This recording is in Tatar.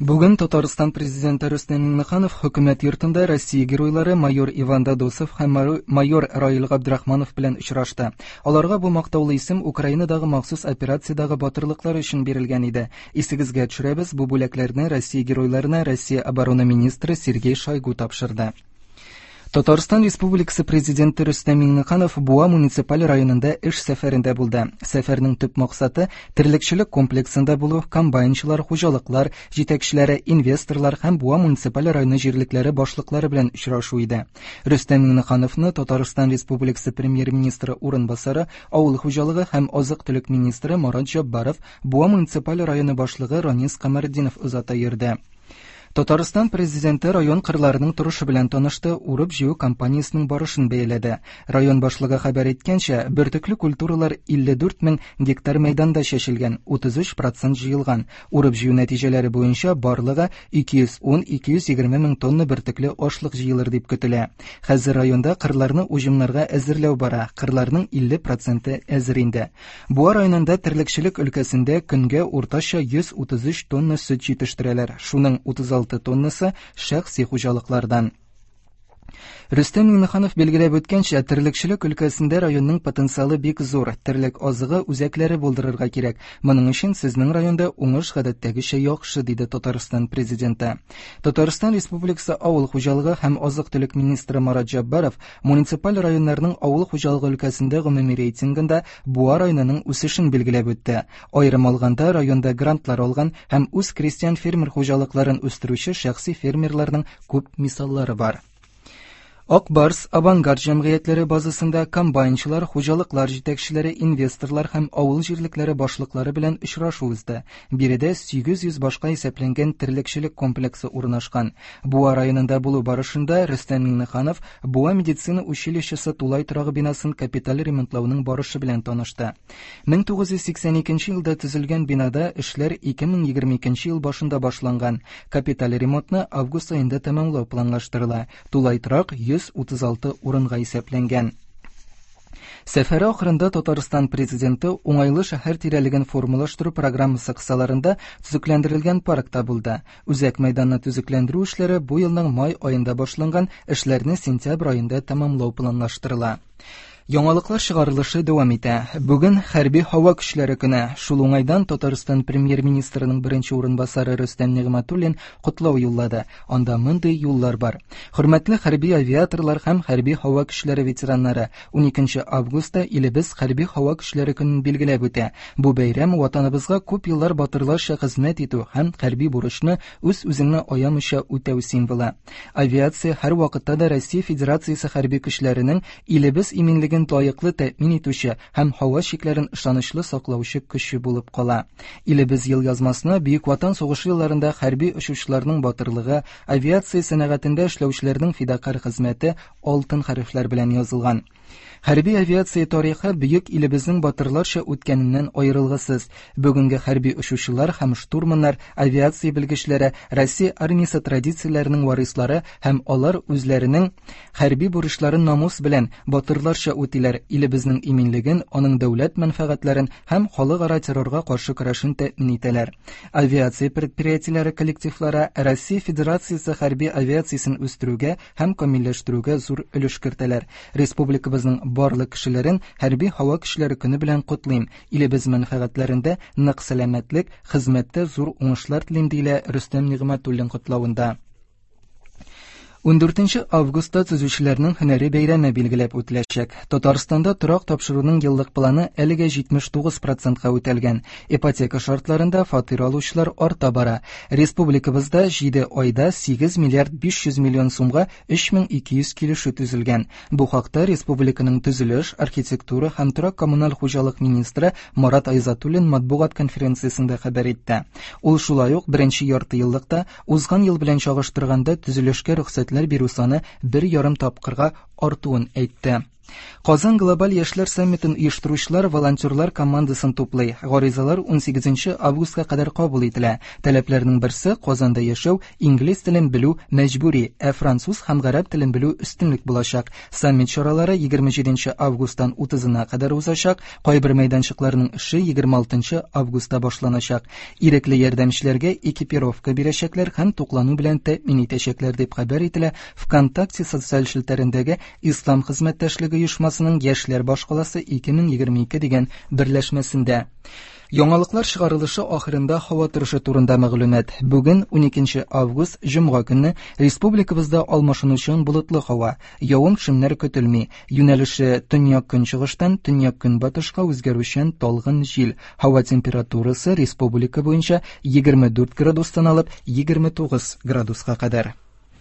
Бүген Татарстан президенты Рөстәм Миңнеханов хөкүмәт йортында Россия геройлары майор Иван Дадосов һәм майор Раил Габдрахманов белән очрашты. Аларга бу мактаулы исем Украинадагы махсус операциядәге батырлыклары өчен бирелгән иде. Исегезгә төшерәбез, бу бүләкләрне Россия геройларына Россия оборона министры Сергей Шойгу тапшырды. Татарстан Республикасы Президенты Рөстәм Миңнеханов Буа муниципаль районында эш сәфәрендә булды. Сәфәрнең төп максаты терлекчелек комплексында булу, комбайнчылар, хуҗалыклар җитәкчеләре, инвесторлар һәм Буа муниципаль районы җирлекләре башлыклары белән очрашу иде. Рөстәм Миңнехановны Татарстан Республикасы Премьер-министры урынбасары, авыл хуҗалыгы һәм азык-төлек министры Марат Җаббаров, Буа муниципаль районы башлыгы Ранис Камәртдинов озата йөрде. Татарстан Президенты район кырларының торышы белән танышты, урып-җыю кампаниясенең барышын бәяләде. Район башлыгы хәбәр иткәнчә, бөртекле культуралар 54 мең гектар мәйданда чәчелгән, 33 процент җыелган. Урып-җыю нәтиҗәләре буенча барлыгы 210-220 мең тонна бөртекле ашлык җыелыр дип көтелә. Хәзер районда кырларны уҗымнарга әзерләү бара, кырларның 50 проценты әзер инде. Буа районында терлекчелек өлкәсендә көнгә уртача 133 тонна сөт җитештерәләр, шуның 36 тоннасы шәхси хуҗалыклардан. Рөстәм Миңнеханов билгеләп үткәнчә, терлекчелек өлкәсендә районның потенциалы бик зур. Терлек азыгы үзәкләре булдырырга кирәк. Моның өчен сезнең районда уңыш гадәттәгечә яхшы, диде Татарстан Президенты. Татарстан Республикасы Авыл хуҗалыгы һәм азык-төлек министры Марат Җәббаров Муниципаль районнарның авыл хуҗалыгы өлкәсендә гомуми рейтингында Буа районының үсешен билгеләп үтте. Аерым алганда, районда грантлар алган һәм үз крестьян-фермер хуҗалыкларын үстерүче шәхси фермерларның күп мисаллары бар. Ак Барс, Авангард җәмгыятьләре базасында комбайнчылар, хуҗалыклар җитәкчеләре, инвесторлар һәм авыл җирлекләре башлыклары белән очрашу узды. Биредә 800 башка исәпләнгән терлекчелек комплексы урнашкан. Буа районында булу барышында Рөстәм Миңнеханов Буа медицина училищесы тулай торагы бинасын капиталь ремонтлауның барышы белән танышты. 1982 елда төзелгән бинада эшләр 2022 ел башында башланган. Капиталь ремонтны август аенда тәмамлау планлаштырыла. Тулай торак 136 урынга исәпләнгән. Сәфәре ахырында Татарстан Президенты уңайлы шәһәр тирәлеген формалаштыру программасы кысаларында төзекләндерелгән паркта булды. Үзәк мәйданны төзекләндерү эшләре бу елның май аенда башланган, эшләрне сентябрь аенда тәмамлау планлаштырыла. Яңалыклар чыгарылышы дәвам итә. Бүген хәрби һава көчләре көне. Шул уңайдан Татарстан премьер-министрының беренче урынбасары Рөстәм Нигъмәтуллин котлау юллады. Анда мондый юллар бар. Хөрмәтле хәрби авиаторлар һәм хәрби һава көчләре ветераннары, 12 августта илебез хәрби һава көчләре көнен билгеләп үтә. Бу бәйрәм Ватаныбызга күп еллар батырларча хезмәт итү һәм хәрби бурычны үз-үзеңне аямыйча үтәү символы. Авиация һәрвакытта да Россия Федерациясе хәрби көчләренең илебез иминлеген лаеклы тәэмин итүче һәм һава чикләрен ышанычлы саклаучы көче булып кала. Илебез елъязмасына Бөек Ватан сугышы елларында хәрби очучыларның батырлыгы, авиация сәнәгатендә эшләүчеләрнең фидакарь хезмәте алтын хәрефләр белән язылган. Хәрби авиация тарихы бөек илебезнең батырларча үткәненнән аерылгысыз. Бүгенге хәрби очучылар һәм штурманнар, авиация белгечләре, Россия армиясе традицияләренең варислары һәм алар үзләренең хәрби бурычларын намус белән, батырларча үтиләр, илебезнең иминлеген, аның дәүләт мәнфәгатьләрен һәм халыкара террорга каршы көрәшен тәэмин итәләр. Авиация предприятиеләре коллективлары Россия Федерациясе хәрби авиациясен үстерүгә һәм камилләштерүгә зур өлеш кертәләр. Республикабызның барлык кешеләрен Хәрби һава көчләре көне белән котлыйм. Илебез мәнфәгатьләрендә нык сәламәтлек, хезмәттә зур уңышлар телим, диелә Рөстәм Нигъмәтуллин котлавында. 14 августта төзүчеләрнең һөнәри бәйрәме билгеләп үтеләчәк. Татарстанда торак тапшыруның еллык планы әлегә 79 процентка үтәлгән. Ипотека шартларында фатир алучылар арта бара. Республикабызда 7 айда 8 миллиард 500 миллион сумга 3200 килешү төзелгән. Бу хакта республиканың төзелеш, архитектура һәм торак-коммуналь хуҗалык министры Марат Айзатуллин матбугат конференциясендә хәбәр итте. Ул шулай ук беренче яртыеллыкта узган ел белән чагыштырганда төзелешкә рөхсәтләр бирү саны бер ярым тапкырга артуын әйтте. Казан глобаль яшьләр саммитын оештыручылар волонтерлар командасын туплый. Гаризалар 18 августка кадәр кабул ителә. Таләпләрнең берсе Казанда яшәү, инглиз телен белү мәҗбүри, ә француз һәм гарәп телен белү өстенлек булачак. Саммит чаралары 27 августтан 30-на кадәр узачак. Кайбер мәйданчыкларның эше 26 августта башланачак. Ирекле ярдәмчеләргә экипировка бирәчәкләр һәм туклану белән тәэмин итәчәкләр дип хәбәр ителә ВКонтакте социаль челтәрендәге Ислам хезмәттәшлеге оешмасының Яшьләр башкаласы 2022 дигән берләшмәсендә. Яңалыклар чыгарылышы ахырында һава торышы турында мәгълүмат. Бүген 12 август, җомга көнне республикабызда алмашынучан болытлы һава, явым-төшемнәр көтелми. Юнәлеше төньяк-көнчыгыштан төньяк-көнбатышка үзгәрүчән талгын җил. Һава температурасы республика буенча 24 градустан алып 29 градуска кадәр.